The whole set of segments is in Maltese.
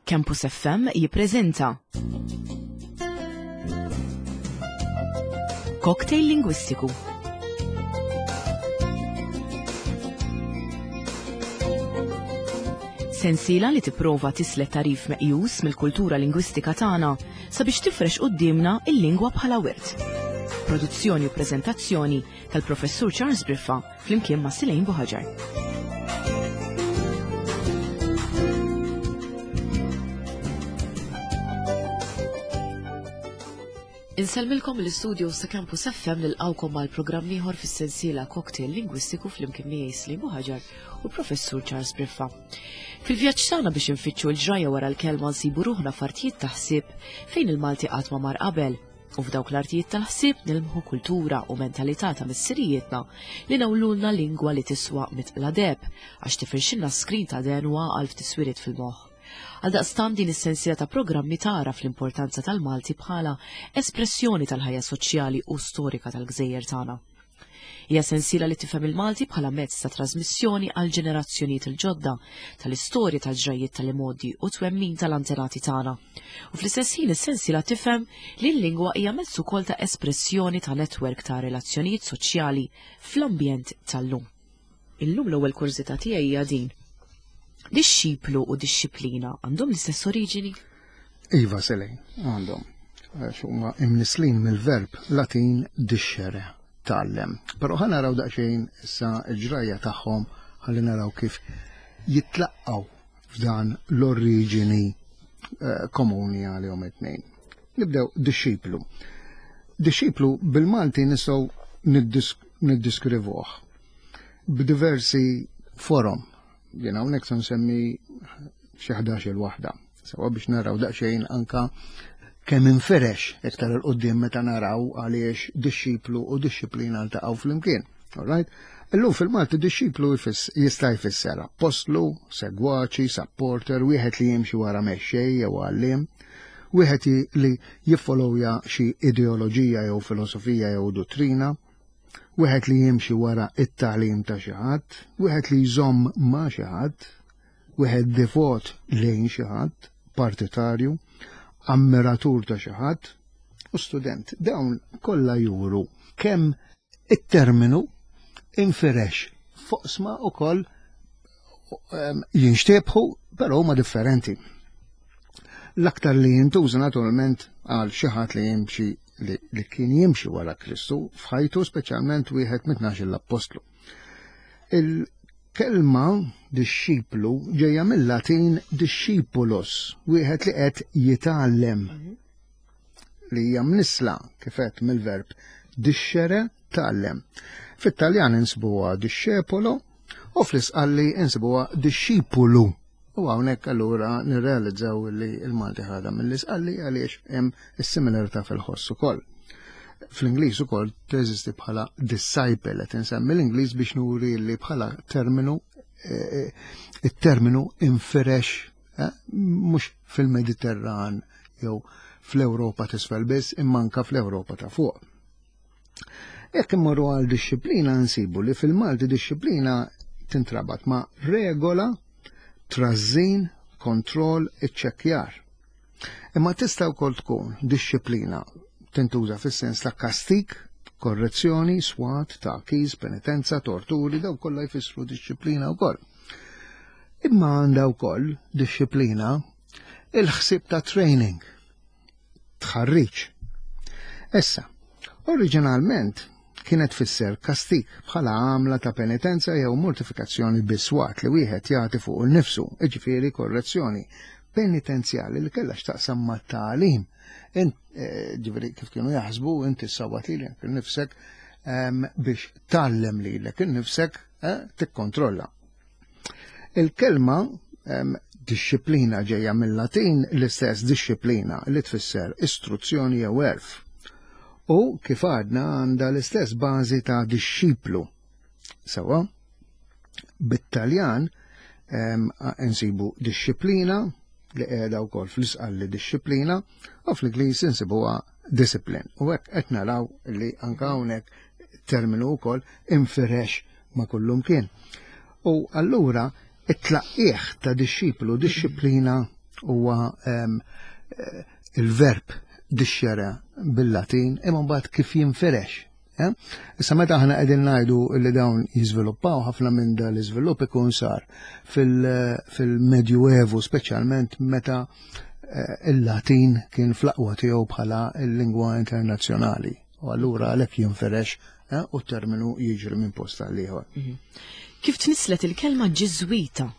Campus FM jippreżenta Cocktail Lingwistiku. Sensiela li tipprova tislet tarif meqjus mill-kultura lingwistika tagħna sabiex tifrex quddiemna il-lingwa bħala wirt. Produzzjoni u preżentazzjoni tal-Professur Charles Briffa flimkien ma' Silejn Buħaġar. Insellmilkom l-istudio sa' Campus FM nilqawkom għal programm ieħor fis-sensiela Cocktail Lingwistiku flimkien miegħi Slim Buħaġar u Professur Charles Briffa. Fil-vjaġġ tagħna biex infittxu l-ġrajja wara l-kelma nsibu ruħna f'artijiet ta' ħsieb fejn il-Malti qatt ma mar qabel U f'dawk l-artijiet tal-ħsieb nilmħu kultura u mentalità ta' missirijietna li nawlulna lingwa li tiswa mitqla deheb għax tifirxilna skrin ta' den u għaqal f'tiswiriet fil-moħħ. Għaldaqstant din is-sensiela ta' programmi tagħraf l-importanza tal-Malti bħala espressjoni tal-ħajja soċjali u storika tal-gżejjer tagħna. Hija sensiela li tifhem il-Malti bħala mezz ta' trasmissjoni għal ġenerazzjonijiet il-ġodda tal-istorja tal-ġrajjiet tal-imgħoddi u twemmin tal-antenati tagħna. U fl-istess ħin is-sensiela tifhem li l-lingwa hija mezz ukoll ta' espressjoni ta' netwerk ta' relazzjonijiet soċjali fl-ambjent tal-lum. Illum l-ewwel kurżità tiegħi hija din. Dixxiplu u dixxiplina għandhom l-istess oriġini? Iva Selejn, għandhom. Għax huma imnislin mill-verb Latin discere, tgħallem. Però ħa naraw daqsxejn issa l-ġrajja tagħhom ħalli naraw kif jitlaqqgħu f'dan l-oriġini eh, komuni għalihom it-tnejn. Nibdew dixxiplu. Dixxiplu bil-Malti nistgħu niddiskrivuh b'diversi forom. Jien hawnhekk se nsemmi xi 11-il waħda. Sewa biex naraw daqsxejn anka kemm inferex iktar il qudiem meta naraw għaliex dixxiplu u dixxiplina ltaqgħu flimkien. Alright? Illum fil-Malti dixxiplu jista' jfisser appostlu, segwaċi, supporter, wieħed li jimxi wara mexxej jew għalliem, wieħed li jiffollowja xi ideoloġija jew filosofija jew duttrina, wieħed li jimxi wara it-tagħlim ta' xi ħadd, wieħed li jżomm ma' xi ħadd, wieħed devot lejn xi ħadd, partitarju, ammiratur ta' xi ħadd u student. Dawn kollha juru kemm it-terminu infirex foqsma ukoll ehm, jinxtebħu, però huma differenti. L-aktar li jintuża naturalment għal xi ħadd li jimxi li, li kien jimxi wara Kristu f'ħajtu speċjalment wieħed mit-tnax l-appostlu. Il-kelma dixxiplu ġejja mill-Latin discipulus, wieħed li qed jitgħallem mhm. li hija mnisla kif qed mill-verb discere tgħallem. Fit-Taljan insibuha discepolo u fl-Isqalli insibuha discipulu. U hawnhekk allura nirrealizzaw li l-Malti ħadha mill-Isqalli għaliex hemm is-similarità fil-ħoss ukoll. Fl-Ingliż ukoll teżisti bħala disciple qed insemmi l-Ingliż biex nuri li bħala terminu eh, eh, it-terminu infirex eh, mhux fil-Mediterran jew fl-Ewropa t'isfel biss imma anka fl-Ewropa ta' fuq. Jekk immorru għal dixxiplina nsibu li fil-Malti dixxiplina tintrabat ma' regola, trażżin, kontroll, iċċekkjar. Imma tista' wkoll tkun dixxiplina tintuża fis-sens ta' kastik, korrezzjoni, swat, tagħkis, penitenza, torturi, daw kollha jfissru dixxiplina wkoll. Imma għandha wkoll dixxiplina il-ħsieb ta' training, tħarriġ. Issa, oriġinalment kienet tfisser kastik bħala għamla ta' penitenza jew mortifikazzjoni biswat li wieħed jagħti fuq innifsu, jiġifieri korrezzjoni penitenzjali li kellha x'taqsam ma' tagħlim. Eh, ġifieri kif kienu jaħsbu inti ssawwat lilek innifsek ehm, biex tgħallem lilek innifsek eh, tikkontrolla. Il-kelma dixxiplina ġejja mill-Latin l-istess dixxiplina li tfisser istruzzjoni jew għerf. U kif għadna għandha l-istess bażi ta' dixxiplu. Sewa, bit-Taljan insibu dixxiplina li qiegħda wkoll fl-isqalli dixxiplina u fl-Ingliż insibuha discipline. U hekk qed naraw li anke hawnhekk terminu wkoll infirex ma' kullumkien. U allura it-tlaqqieħ ta' dixxiplu, dixxiplina huwa il-verb dixxere bil-Latin imma mbagħad kif jinfirex. Eh? Issa meta aħna qegħdin ngħidu li dawn jiżviluppaw ħafna minn dan l-iżvilupp ikun sar fil-Medjuevu speċjalment meta eh, il-Latin kien fl-aqwa tiegħu bħala l-lingwa internazzjonali. U allura għalhekk jinferex eh, u t-terminu jiġri minn post għal ieħor. Mhm. Kif tnislet il-kelma ġiżwita?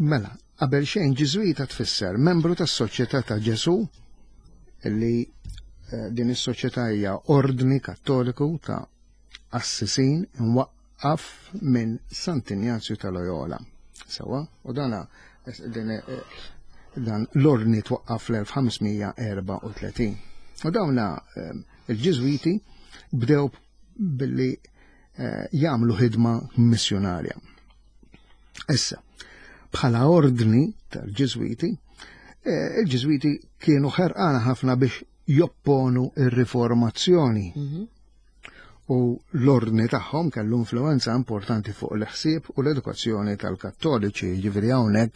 Mela, qabel xejn ġiżwita tfisser membru tas-Soċjetà ta' Ġesù li eh, din is-soċjetà hija ordni kattoliku ta' assisin imwaqqaf minn Sant'Injazju ta' Loyola. Sewa, u dana din eh, dan l-ordni twaqqaf fl-1534. U dawna eh, il-Ġiżwiti bdew billi eh, jagħmlu ħidma missjonarja. Issa, bħala ordni tal-Ġiżwiti, il-Ġiżwiti kienu ħerqana ħafna biex jopponu ir-riformazzjoni. Mm -hmm. U l-ordni tagħhom kellu influenza importanti fuq l-ħsieb u l-edukazzjoni tal-Kattoliċi, jiġifieri hawnhekk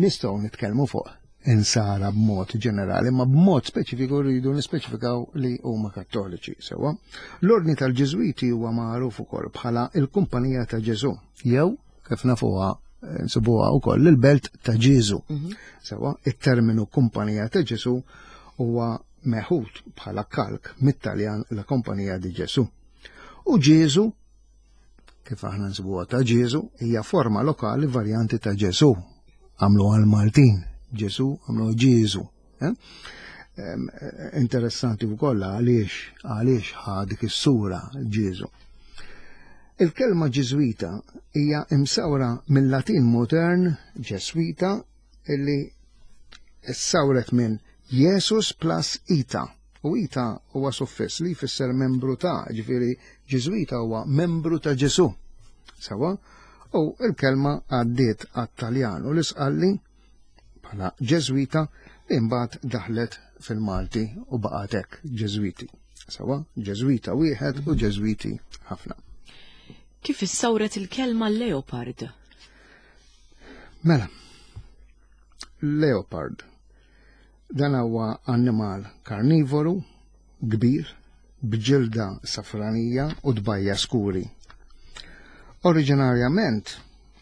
nistgħu nitkellmu fuq insara b'mod ġenerali, ma b'mod speċifiku rridu nispeċifikaw li huma kattoliċi, sewwa. L-ordni tal-Ġiżwiti huwa magħruf ukoll bħala il-Kumpanija ta' Ġesu, jew kif nafuha nsibuha wkoll il-Belt ta' Ġieżu. Mhm. Sewwa, it-terminu Kumpanija ta' Ġesu huwa meħud bħala kalk mit-Taljan La Compagnia di Gesù. U Ġieżu, kif aħna nsibuha ta' Ġieżu, hija forma lokali varjanti ta' Ġesù. Għamlu għal-Maltin, Ġesù għamlu Ġieżu. Eh? Interessanti wkoll għaliex għaliex ħa dik is-sura Ġieżu. Il-kelma Ġiżwita hija imsawra mill-Latin modern Ġeswita illi ssawret minn Jesus plus ita. U ita huwa suffiss li jfisser membru ta', ġifieri Ġiżwita huwa membru ta' Ġesu. Sawa? U il-kelma għaddiet għat-Taljan u l-Isqalli bħala Ġeżwita li mbagħad daħlet fil-Malti u baqgħet hekk Ġeżwiti. Sawa? Ġeżwita wieħed u Ġeżwiti ħafna. Kif issawret il-kelma leopard? Mela, leopard. Dan huwa annimal karnivoru, kbir, b'ġilda safranija u tbajja skuri. Oriġinarjament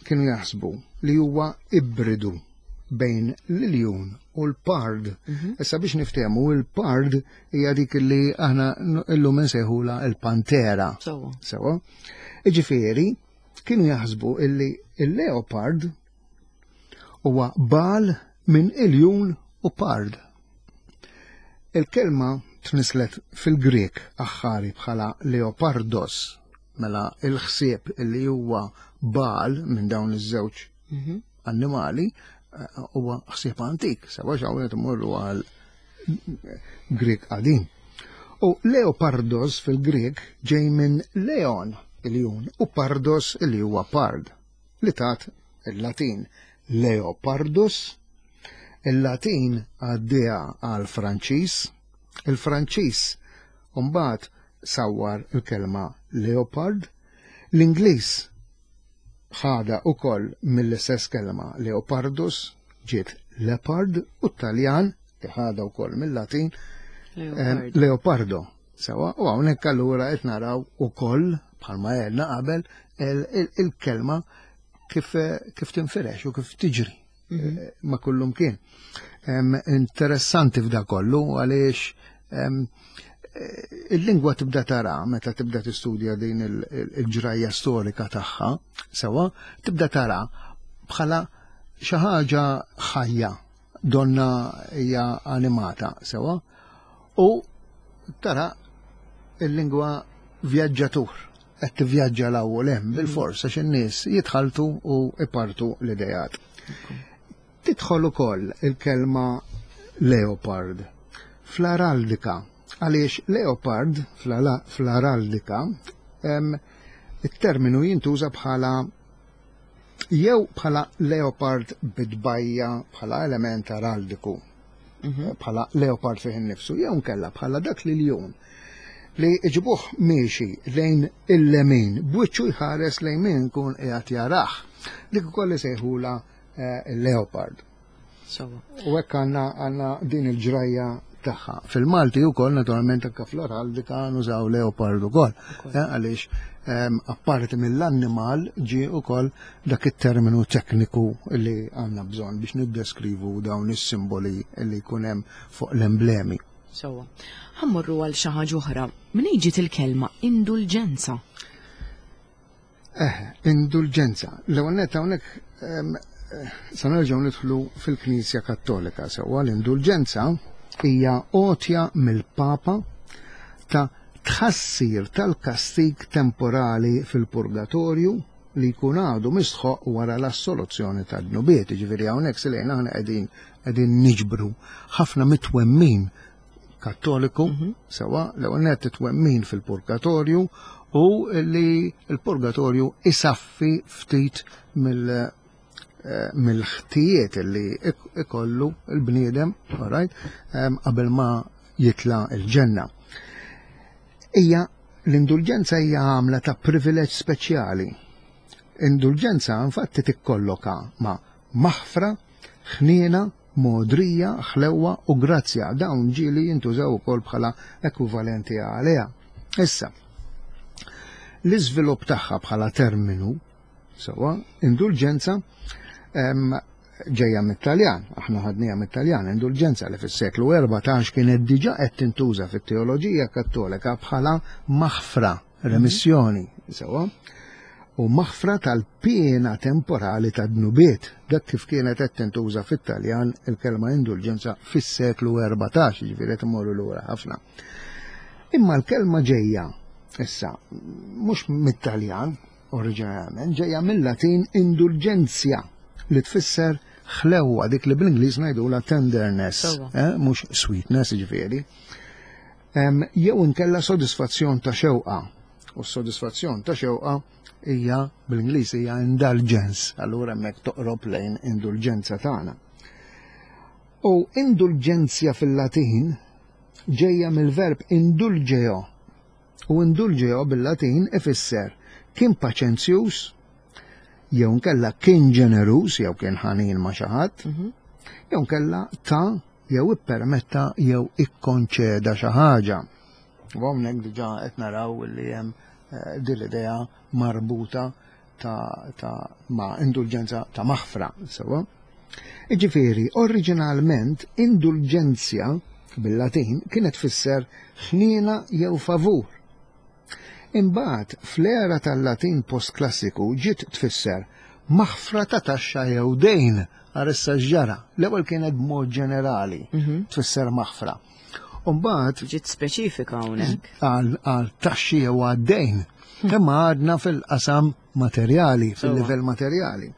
kienu jaħsbu li huwa ibridu bejn l-iljun u l-pard. Mhm. Issa biex niftehmu il-pard hija dik li aħna illum insejħula il-pantera. Sewa. Iġifieri, Kienu jaħsbu illi il-leopard huwa bal minn iljun u pard. Il-kelma tnislet fil-Grieg aħħari bħala leopardos, mela il-ħsieb illi huwa bal minn dawn iż-żewġ mhm. annimali eh, huwa ħsieb antik, sewa xawlet imorru għal Grieg qadim. U leopardos fil-Grieg ġej minn leon, iljun, u pardos li huwa pard, li tat il-Latin leopardus, il-Latin għaddieha għal Franċiż, il-Franċiż mbagħad sawwar il-kelma leopard, l-Ingliż ħadha ukoll mill-istess kelma leopardus ġiet leopard u t-Taljan li ħadha wkoll mill-Latin eh, leopardo. Sewa, u hawnhekk allura qed naraw ukoll bħalma għedna qabel il-kelma kif, kif tinfirex u kif tiġri mhm. eh, ma kullum kien. Interessanti f'da kollu għaliex eh, il-lingwa tibda tara meta tibda tistudja din il-ġrajja storika tagħha, sewa, tibda tara bħala xi ħaġa ħajja donna hija animata sewa u tara il-lingwa vjaġġatur qed tivvjaġġa l u hemm bil-fors għax in-nies jitħaltu u ipartu l-idejat. Tidħol ukoll il-kelma leopard fl-araldika għaliex leopard fl-araldika it-terminu jintuża bħala jew bħala leopard bidbajja bħala element araldiku mhm. bħala leopard fih innifsu jew nkella bħala dak li ljun li iġibuh miexi lejn il-lemin b'wiċċu jħares lejn min kun qiegħed jarah. Dik ukoll isejħula eh, leopard. U hekk għandna għandna din il-ġrajja tagħha. Fil-Malti wkoll naturalment anke fl-araldika nużaw leopard ukoll. Eh, għaliex ehm, apparti mill-annimal ġie ukoll dak it-terminu tekniku li għandna bżonn biex niddeskrivu dawn is-simboli li jkun hemm fuq l-emblemi. Sewwa. Ħammorru għal xi ħaġa oħra. Minn ġiet il-kelma indulġenza? Eh, indulġenza. L-ewwel nett hawnhekk ehm, eh, sa nerġgħu nidħlu fil-Knisja Kattolika sewwa l-indulġenza hija għotja mill-Papa ta' tħassir tal-kastig temporali fil-purgatorju li jkun għadu mistħoq wara l-assoluzzjoni tad-dnubiet. Ġifieri hawnhekk silejna aħna qegħdin qegħdin niġbru ħafna mitwemmin kattoliku, mhm. sewa l-ewwel nett it-twemmin fil-purgatorju u li l-purgatorju isaffi ftit mill eh, mill-ħtijiet li ikollu l-bniedem, right, qabel ma jitla l-ġenna. Hija l-indulġenza hija għamla ta' privileġġ speċjali. Indulġenza infatti tikkolloka ma' maħfra, ħniena, mogħdrija, ħlewwa u grazzja. Dawn ġieli jintużaw ukoll bħala ekwivalenti għaliha. Issa, l-iżvilupp tagħha bħala terminu, sewwa, indulġenza, ġejja mit-Taljan, aħna ħadniha mit-Taljan, indulġenza li fis-seklu 14 kienet diġà qed tintuża fit-teoloġija Kattolika bħala maħfra remissjoni, sewwa, u maħfra tal-piena temporali ta' dnubiet, dak kif kienet qed tintuża fit-Taljan il-kelma indulġenza fis-seklu 14, ġifieri qed imorru lura ħafna. Imma l-kelma ġejja issa mhux mit-Taljan oriġinarjament, ġejja mill-Latin indulgenzja li tfisser ħlewwa dik li bl-Ingliż ngħidulha tenderness, eh, mhux sweetness ġifieri. Jew inkella sodisfazzjon ta' xewqa. U s-sodisfazzjon ta' xewqa hija bl-Ingliż hija indulgence, allura hemmhekk toqrob lejn indulġenza tagħna. U indulġenzja fil-Latin ġejja mill-verb indulgeo. U indulgeo bil-Latin ifisser kien paċenzjuż, jew nkella kien ġeneruż jew kien ħanin ma' xi ħadd, mhm. jew nkella ta' jew ippermetta jew ikkonċeda xi ħaġa. U hawnhekk diġà qed naraw li hemm eh, din l-idea marbuta ta', ta ma' indulġenza ta' maħfra, sewa. Iġifieri, oriġinalment indulġenzja bil-Latin kienet tfisser ħniena jew favur. Imbagħad, fl-era tal-Latin postklassiku ġiet tfisser maħfra ta' taxxa jew dejn. Ara issa x'ġara. L-ewwel kienet b'mod ġenerali mhm. tfisser maħfra. U mbagħad ġiet speċifika hawnhekk. Għal taxxi jew għad-dejn. Hmm. Imma għadna fil-qasam materjali, fil-livell materjali.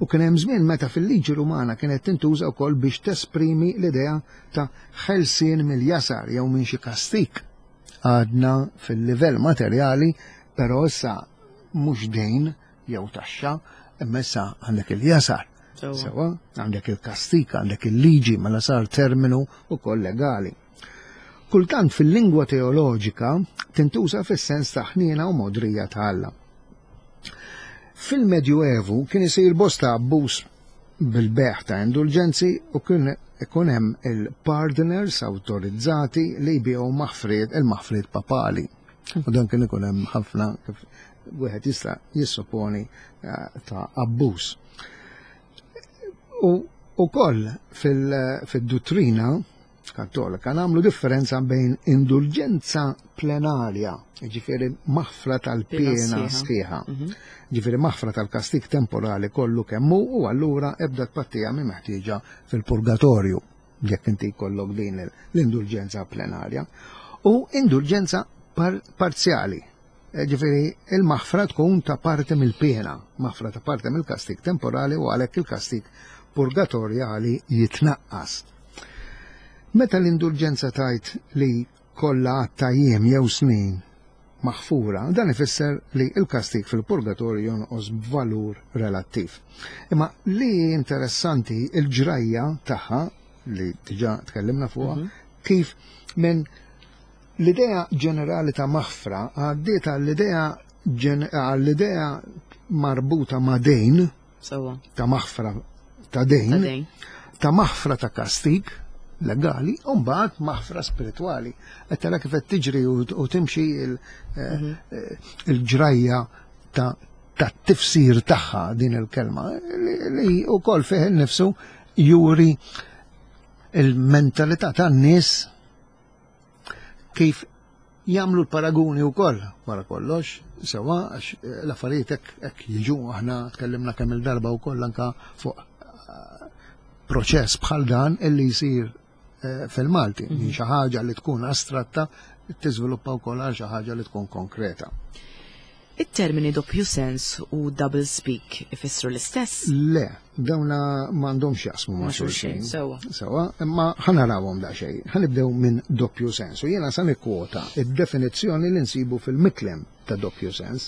U kien hemm żmien meta fil-liġi Rumana kienet tintuża wkoll biex tesprimi l-idea ta' ħelsien mill-jasar jew minn xi kastik. Għadna fil-livell materjali, però issa mhux dejn jew taxxa, imma issa għandek il-jasar. Sewa, għandek il-kastik, għandek il-liġi, mela sar terminu ukoll legali. Kultant fil-lingwa teoloġika tintuża fis-sens ta' ħniena u modrija ta' Alla. Fil-Medjuevu kien isir bosta abbuż bil-bejgħ ta' indulġenzi u kien ikun hemm il-pardoners awtorizzati li jbigħu maħfriet il-maħfriet papali. U dan kien ikun hemm ħafna kif wieħed jista' jissoponi eh, ta' abbuż. U ukoll fil-duttrina Kattolika nagħmlu differenza bejn indulġenza plenarja, ġifieri maħfra tal-piena sħiħa, mhm. ġifieri maħfra tal-kastik temporali kollu kemm hu u allura ebda tpattija mi meħtieġa fil-purgatorju jekk inti jkollok din l-indulġenza plenarja, u indulġenza parzjali, eh, ġifieri il-maħfra tkun ta' parti mill-piena, maħfra ta' parti mill-kastik temporali u għalhekk il-kastik purgatorjali jitnaqqas. Meta l-indulġenza tgħid li kollha għadd ta' jiem jew snin maħfura, dan ifisser li l-kastig fil-purgatorju jonqos b'valur relattiv. Imma li interessanti il-ġrajja tagħha li diġà tkellimna fuqha, mhm. kif minn l-idea ġenerali ta' maħfra għaddiet għall-idea għall-idea marbuta ma' dejn ta' maħfra ta' dejn. ta' maħfra ta' kastig legali u mbagħad maħfra spiritwali. Qed tara kif qed tiġri u timxi eh, mhm. eh, il-ġrajja ta' tifsir tagħha din il-kelma li wkoll fih innifsu juri il-mentalità tan-nies kif jagħmlu l-paraguni wkoll wara kollox, sewa għax eh, l-affarijiet hekk jiġu aħna tkellimna kemm il-darba wkoll anka fuq eh, proċess bħal dan illi jsir eh, fil-Malti, minn mhm. xi ħaġa li tkun astratta tiżviluppa wkoll għal xi ħaġa li tkun konkreta. It-termini doppju sens u double speak ifissru l-istess? Le, dawna m'għandhomx jaqsmu ma' xulxin. Sewa. Sewa, imma ħanarawhom daqsxejn. Ħanibdew minn doppju sens. U jiena sa nikkwota id-definizzjoni li nsibu fil-miklem ta' doppju sens.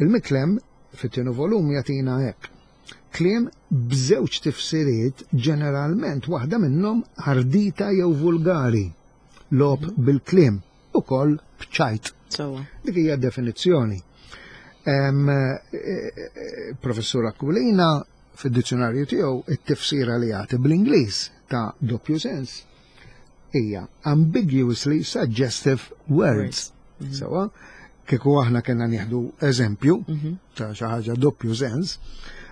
Il-miklem fit-tieni volum jagħtina hekk. Kliem b'żewġ tifsiriet ġeneralment waħda minnhom ardita jew vulgari. Logħob mhm. bil-kliem ukoll b'ċajt. Dik hija definizzjoni. Eh, eh, Professur Aquilina fid-dizzjonarju tiegħu it-tifsira li jagħti bl-Ingliż ta' doppju sens hija ambiguously suggestive words. Mhm. Sewa, kieku aħna kellna nieħdu eżempju mhm. ta' xi ħaġa doppju sens,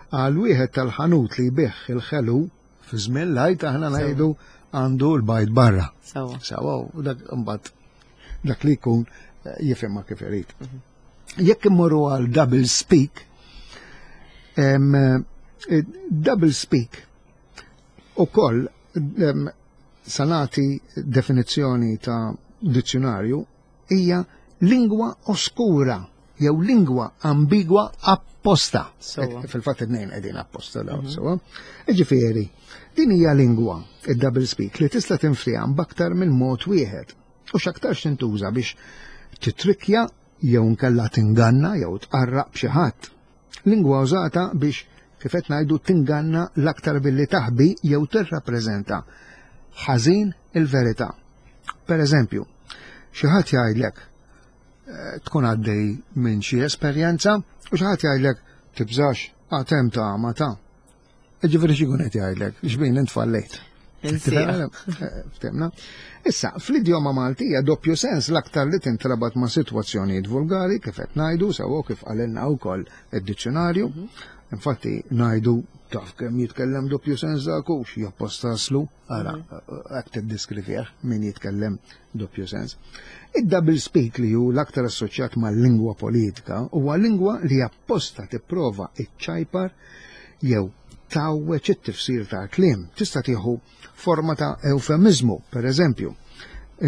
għal wieħed tal-ħanut li jbigħ il-ħelu Fi żmien l-Għid aħna ngħidu għandu l-bajd barra. Sawa. Sawa, u dak imbagħad dak li jkun eh, jifhimha kif irid. Mhm. Jekk immorru għal double speak, eh, double speak ukoll sanati definizzjoni ta' dizzjonarju hija lingwa oskura jew lingwa ambigwa apposta. Fil-fatt it-tnejn qegħdin apposta dawn mhm. sewa. Ġifieri, din hija lingwa, id-double speak, li tista' tinftieham b'aktar minn mod wieħed u x'aktarx tintuża biex titrikja jew nkella tinganna jew tqarraq b'xi ħadd. Lingwa użata biex kif qed ngħidu tinganna l-aktar billi taħbi jew tirrappreżenta ħażin il-verità. Per eżempju, xi ħadd jgħidlek eh, tkun għaddej minn xi esperjenza u xi ħadd jgħidlek tibżax għad hemm ta' ma ta'. Ġifieri xi jkun qed jgħidlek, xbin int fallejt. Ftemna. Issa, fl-idjoma Maltija doppju sens l-aktar li tintrabat ma' sitwazzjonijiet vulgari kif qed ngħidu sewwa kif qalilna wkoll id-dizzjonarju. Mhm. Infatti ngħidu taf kemm jitkellem doppju sens dak hux jappostaslu, ara mhm. hekk tiddiskrivih min jitkellem doppju sens. Id-double speak li hu l-aktar assoċjat mal-lingwa politika huwa lingwa li apposta tipprova iċċajpar jew tgħawweġ it-tifsir tal-kliem. Tista' tieħu forma ta' eufemiżmu, per eżempju,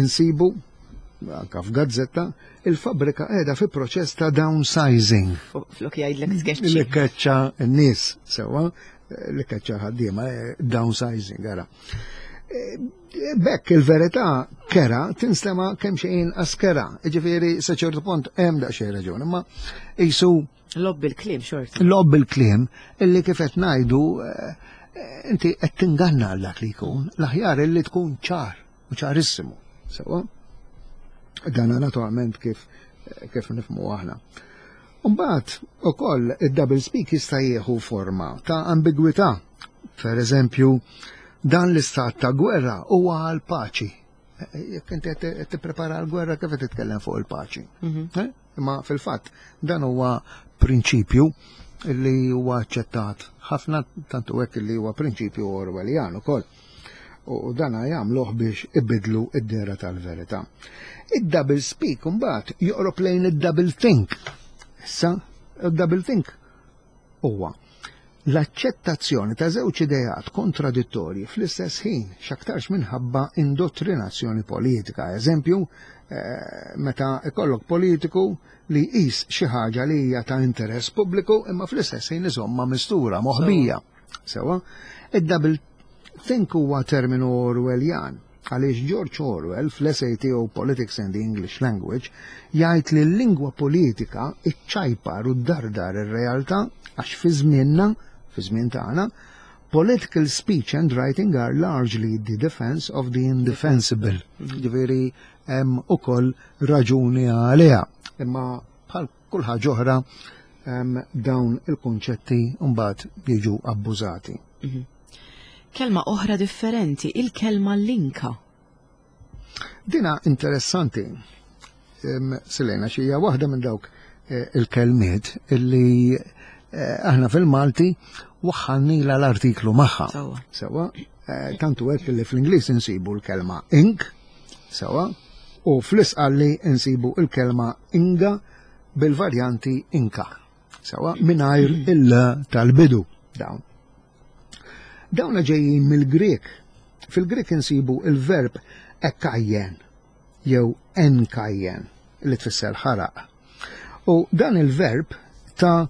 insibu anka f'gazzetta, il-fabbrika qiegħda fi proċess ta' downsizing. Flok jgħidlek tkeċċi. Li keċċa n-nies, sewwa, li keċċa ħaddiema, eh, downsizing, ara. Eh, bekk il-verità kera tinstema kemm xejn askera, ġifieri sa ċertu punt hemm daqsxejn raġun, imma jisu Lob bil-kliem xorta. Lob bil-kliem illi kif qed ngħidu eh, inti qed tinganna għal dak li jkun, l-aħjar illi tkun ċar u ċarissimu. Sewa? Dan naturalment kif kif nifmu aħna. Mbagħad ukoll id-double speak jista' jieħu forma ta' ambigwità. Per eżempju, dan l-istat ta' gwerra huwa għal paċi. Jekk inti qed tipprepara l-gwerra kif qed titkellem fuq il-paċi. Mhm. Eh? Imma fil-fatt dan huwa prinċipju li huwa aċċettat ħafna tantu hekk li huwa prinċipju Orwelljan ukoll. U dan jagħmluh biex ibidlu id-dera tal-verità. Id-double speak imbagħad joqrob lejn id-double think. Issa, id-double think huwa l-aċċettazzjoni ta' żewġ ideat kontradittorji fl-istess ħin, x'aktarx minħabba indottrinazzjoni politika. Eżempju, eh, meta ikollok politiku li jqis xi ħaġa li hija ta' interess pubbliku imma fl-istess ħin iżomma mistura, moħbija. Sewa, id-double think huwa terminu Orwelljan Għaliex George Orwell fl-essay tiegħu Politics and the English Language jgħid li l-lingwa politika iċċajpar u ddardar ir-realtà għax fi żmienna, fi żmien tagħna, political speech and writing are largely the defense of the indefensible. Ġifieri hemm ukoll raġuni għaliha. Imma bħal kull ħaġa oħra dawn il-kunċetti mbagħad jiġu abbużati. Mhm. Kelma oħra differenti, il-kelma linka. Dina interessanti, Silena, xija waħda minn dawk eh, il-kelmiet illi eh, aħna fil-Malti waħħalnila l-artiklu magħha. Sewa, eh, tantu hekk li fl-Ingliż insibu l-kelma ink, sewa, u fl-isqalli insibu l-kelma inga bil-varjanti inka. Sewa, mingħajr il tal-bidu dawn. Dawna ġejjin mill-Grieg. Fil-Grieg insibu il-verb ekkajjen jew enkajjen li tfisser ħaraq. U dan il-verb ta'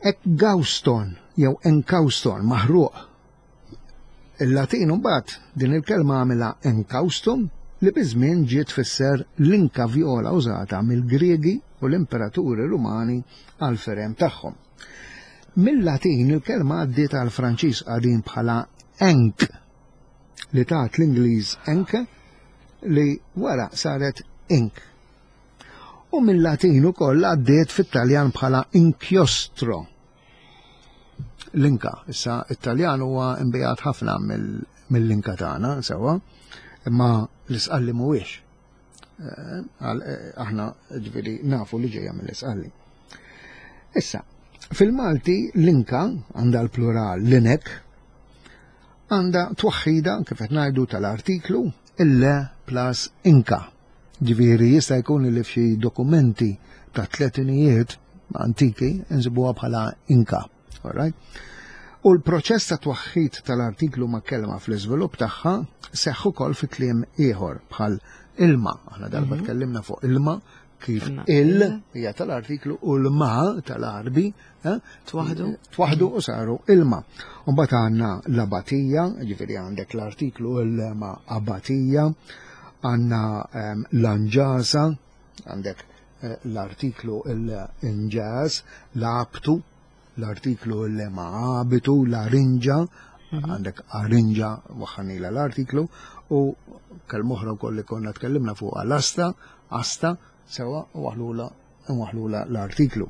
ekgauston jew enkauston maħruq. Il-Latin mbagħad din il-kelma għamilha enkaustum li biż-żmien ġiet tfisser l-inka vjola użata mill-Griegi u l-imperaturi Rumani għall-firem tagħhom. Mil-Latin il-kelma għaddiet għall-Franċiż qadim bħala enk li tat l-Ingliż enke li wara saret ink. U mill-Latin ukoll għaddiet fit-Taljan bħala inchiostro. L-inka, issa it-Taljan huwa imbijat ħafna mill-inka tagħna sewwa, imma l-isqalli mhuwiex. Eh, eh, aħna ġviri nafu li ġejja mill-isqalli. Issa, fil-Malti l-inka għandha l-plural l-inek għandha twaħħida kif qed ngħidu tal-artiklu ille plus inka. Ġifieri jista' jkun li f'xi dokumenti ta' tletinijiet antiki nsibuha bħala inka. Alright? U l-proċess ta' twaħħid tal-artiklu ma' kelma fl-iżvilupp tagħha seħħ ukoll fi kliem ieħor bħal ilma. Aħna darba mhm. tkellimna fuq ilma kif il hija tal-artiklu u l-ma tal-arbi eh? twaħdu twaħdu u saru ilma. Mbagħad għandna l-abatija, ġifieri għandek l-artiklu il-ma abatija, għandna ehm, l-anġasa, għandek eh, l-artiklu l-inġas, l-abtu, l-artiklu l-lema abitu, l-arinġa, mhm. għandek arinġa waħanila l-artiklu, u kelmoħra u koll li konna tkellimna fuq l-asta, asta, sewa u waħlula waħlula l-artiklu.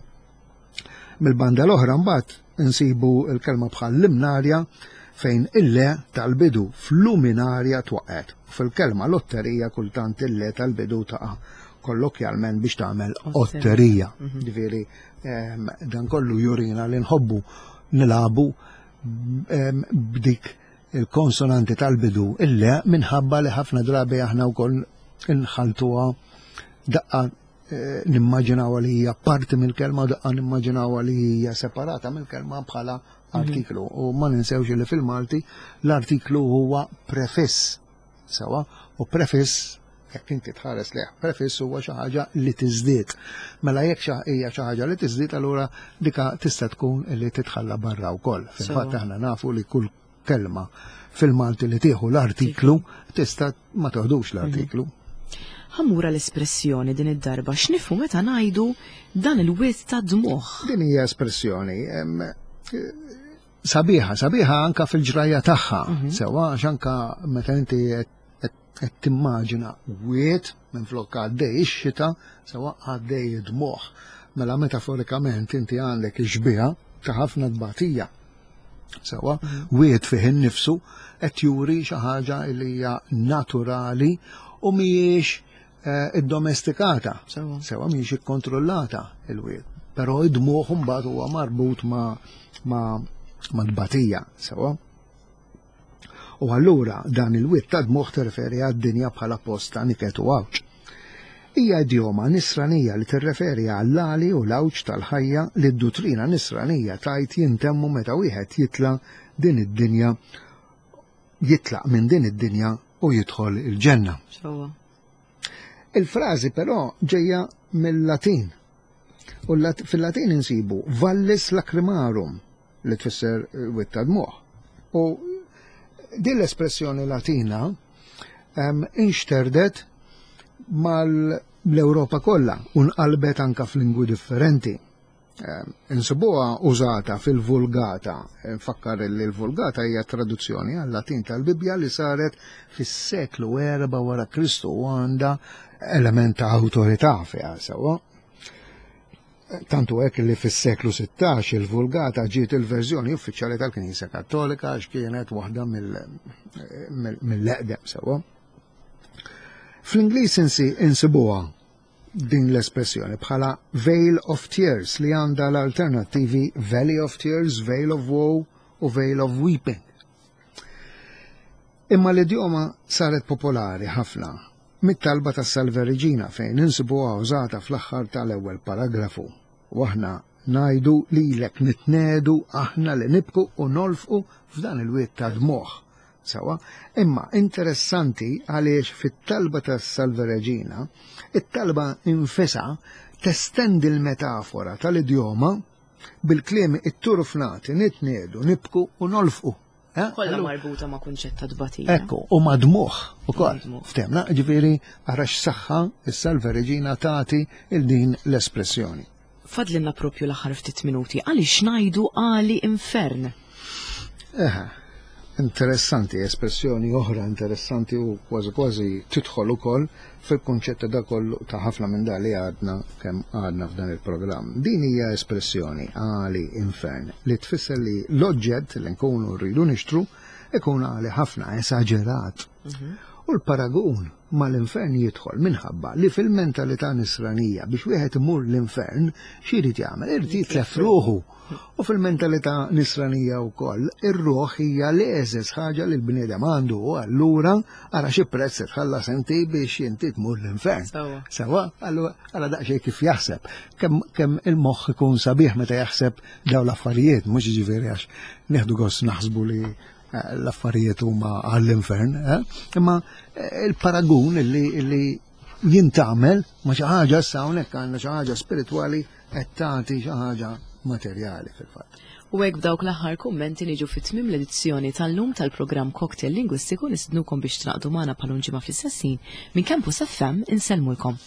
Mill-banda l-oħra mbagħad insibu l-kelma bħal limnarja fejn il-le tal-bidu fl-luminarja twaqgħet. Fil-kelma lotterija kultant il-le tal-bidu taqa' kollokjalment biex tagħmel otterija. Mhm. Ġifieri dan kollu jurina li nħobbu nilabu b'dik il-konsonanti tal-bidu il-le minħabba li ħafna drabi aħna wkoll inħaltuha daqqa eh, nimmaġinaw li hija parti mill-kelma daqqa nimmaġinaw li hija separata mill-kelma bħala mhm. artiklu. U ma ninsewx li fil-Malti l-artiklu huwa prefiss. Sewa, u prefiss jekk inti tħares lejh prefiss huwa xi ħaġa li tiżdied. Mela jekk hija xi ħaġa li tiżdied allura dika tista' tkun li titħalla barra wkoll. Fil-fatt aħna nafu li kull kelma fil-Malti li tieħu l-artiklu tista' ma toħdux l-artiklu. Mhm. Ħammura l-espressjoni din id-darba x'nifhu meta ngħidu dan il-wied ta' dmuħ. Din hija espressjoni sabiħa, sabiħa anka fil-ġrajja tagħha, mhm. sewa għax anka meta inti qed timmaġina wied minn flok għaddej ix-xita, sewa għaddej id-dmuħ. Mela metaforikament inti għandek ix-xbieha ta' ħafna tbatija. Sewa, mhm. wied fih innifsu qed juri xi ħaġa li hija naturali u mhijiex eh, iddomestikata. Sewa mhijiex ikkontrollata il-wied. Però id-dmuħ mbagħad huwa marbut ma' ma' ma' tbatija, sewa. U allura dan il-wied ta' dmuħ tirreferi għad-dinja bħala post ta' niket u għawġ. Hija idjoma nisranija li tirreferi għall-għali u l-għawġ tal-ħajja li d-duttrina nisranija tgħid jintemmu meta wieħed jitla' din id-dinja jitlaq minn din id-dinja u jidħol il-ġenna. Il-frażi però ġejja mill-Latin. U fil-Latin insibu vallis lacrimarum li tfisser wied ta' dmuħ. U din l-espressjoni Latina inxterdet mal-Ewropa kollha u nqalbet anka f'lingwi differenti. Insibuha użata fil-Vulgata. Nfakkar li l-Vulgata hija traduzzjoni għal-Latin tal-Bibbja li saret fis-seklu 4 wara Kristu u għandha element ta' awtorità fiha sewwa. Tantu hekk li fis-seklu 16 il-Vulgata ġiet il-verżjoni uffiċjali tal-Knisja Kattolika għax kienet waħda mill-eqdem sewwa. Fl-Ingliż insibuha din l-espressjoni bħala Vale of Tears li għandha l-alternattivi Valley of Tears, Vale of Woe u Vale of Weeping. Imma l-idjoma saret popolari ħafna mit-talba tas-Salve Regina fejn insibuha użata fl-aħħar tal-ewwel paragrafu. U aħna ngħidu lilek nitnedu aħna li nibku u nolfqu f'dan il-wied ta' dmugħ. Sawa, imma interessanti għaliex fit-talba tas-Salve Regina, it-talba infisha testendi l-metafora tal-idjoma bil-kliem it-turfnati nitnedu, nibku u nolfqu. Eh? Kollha marbuta ma' kunċett ta' tbatija. Ekku, u ma' dmuħ ukoll. Ftemna, ġifieri ara x'saħħa is-Salve Regina tagħti il din l-espressjoni. Fadlinna propju l-aħħar ftit minuti għaliex ngħidu għali infern. Eħe, interessanti, espressjoni oħra interessanti u kważi kważi tidħol ukoll fil-kunċett ta' dak kollu ta' ħafna minn dak li għadna kemm għadna f'dan il-programm. Din hija espressjoni għali infern li tfisser li l-oġġett li nkunu rridu nixtru ikun għali ħafna esaġerat. U l-paragun mal-infern jidħol minħabba li fil-mentalità nisranija biex wieħed imur l-infern xi jrid jagħmel? Irid jitlef ruħu. U fil-mentalità nisranija wkoll, ir-ruħ hija l-eżeż ħaġa li l-bniedem għandu u allura ara xi prezz se tħallas inti biex inti tmur l-infern. Sawa, allura ara daqsxejn kif jaħseb. Kemm il-moħħ ikun sabiħ meta jaħseb dawn l-affarijiet, mhux jiġifieri għax nieħdu gost naħsbu li eh, l-affarijiet huma għall-infern, eh? imma eh, il-paragun li jintagħmel ma xi ħaġa issa hawnhekk għandna xi ħaġa spiritwali qed tagħti xi ħaġa materjali fil-fatt. U hekk b'dawk l-aħħar kummenti niġu fi tmiem l-edizzjoni tal-lum tal-programm Cocktail Lingwistiku nistednukom biex tingħaqdu magħna bħal ġimgħa fl-istess ħin minn Campus FM insellmulkom.